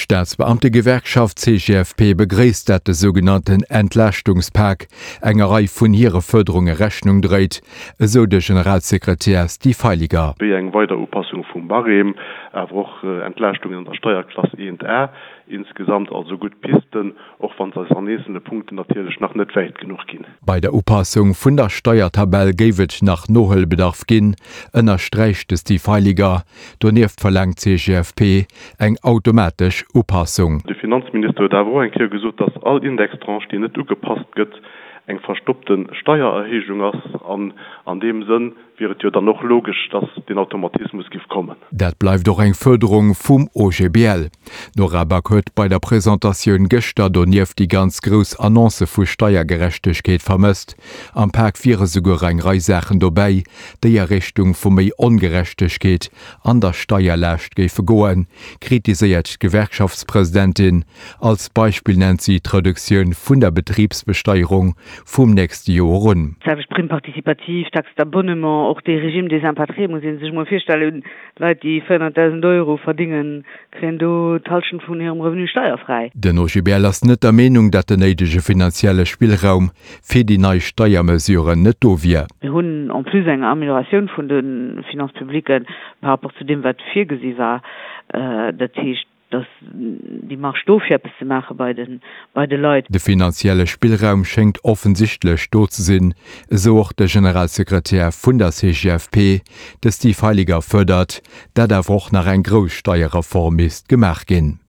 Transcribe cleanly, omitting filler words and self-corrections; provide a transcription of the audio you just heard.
D'Staatsbeamtegewerkschaft CGFP begréisst, dat de sougenannten Entlaaschtungs-Pak enger Rei vun hire Fuerderunge Rechnung dréit, esou de Generalsekretär Steve Heiliger. Wéi eng weider Upassung vum Barème, awer och Entlaaschtungen an der Steierklass 1 A. Insgesamt also gutt Pisten, och wann se eis an eenzele Punkten natierlech nach net wäit genuch ginn. Bei der Upassung vun der Steiertabell géif et nach Nohuelbedarf ginn, ënnersträicht de Steve Heiliger. Donieft verlaangt d'CGFP eng automatesch Upassung. De Finanzminister huet awer och eng Kéier gesot, datt all Indextranche, déi net ugepasst gëtt, eng verstoppte Steiererhéijung ass. An an deem Sënn wier et jo dann och logesch, dass deen Automatismus giff kommen. Dat bleift och eng Fuerderung vum OGBL. D'Nora Back huet bei der Presentatioun gëschter donieft déi ganz grouss Annoncë vu Steiergerechtegkeet vermësst. Am Pak wiere souguer eng Rei Saachen dobäi, déi a Richtung vu méi Ongerechtegkeet an der Steierlaascht géife goen, kritiséiert d'Gewerkschaftspresidentin. Als Beispill nennt si d'Reduktioun vun der Betribsbesteierung vum nächste Joer un. D'selwecht Prime participative, Taxe d'abonnement, och dee Régime des impatriés muss ee sech emol virstellen, Leit déi 400.000 Euro verdingen, kréien do d'Hallschent vun hirem Revenu steierfräi. Den OGBL ass net der Meenung, datt den néidege finanzielle Spillraum fir déi nei Steiermesuren net do wier. Mir hunn en plus eng Amélioratioun vun de Finances publiques par rapport zu deem wat virgesi war. Dat heescht, dass déi Marge do fir eppes ze maache bei de bei de Leit. De finanzielle Spillraum schéngt offensichtlech do ze sinn, esou och de Generalsekretär vun der CGFP, de Steve Heiliger fuerdert, dat awer och nach eng grouss Steierreform misst gemaach ginn.